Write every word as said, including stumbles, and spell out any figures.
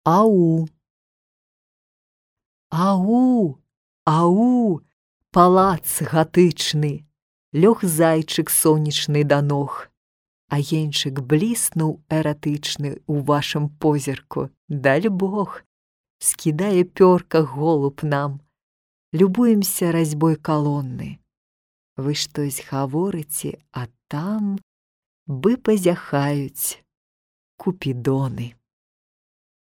Ау! Ау! Ау! Палац гатычны, лёг зайчык сонечны да ног, агеньчык бліснуў эратычны ў вашым позірку, даль Бог, скідае пёрка голуб нам, любуемся разьбой калоны. Вы штось гаворыце, а там бы пазяхаюць купідоны.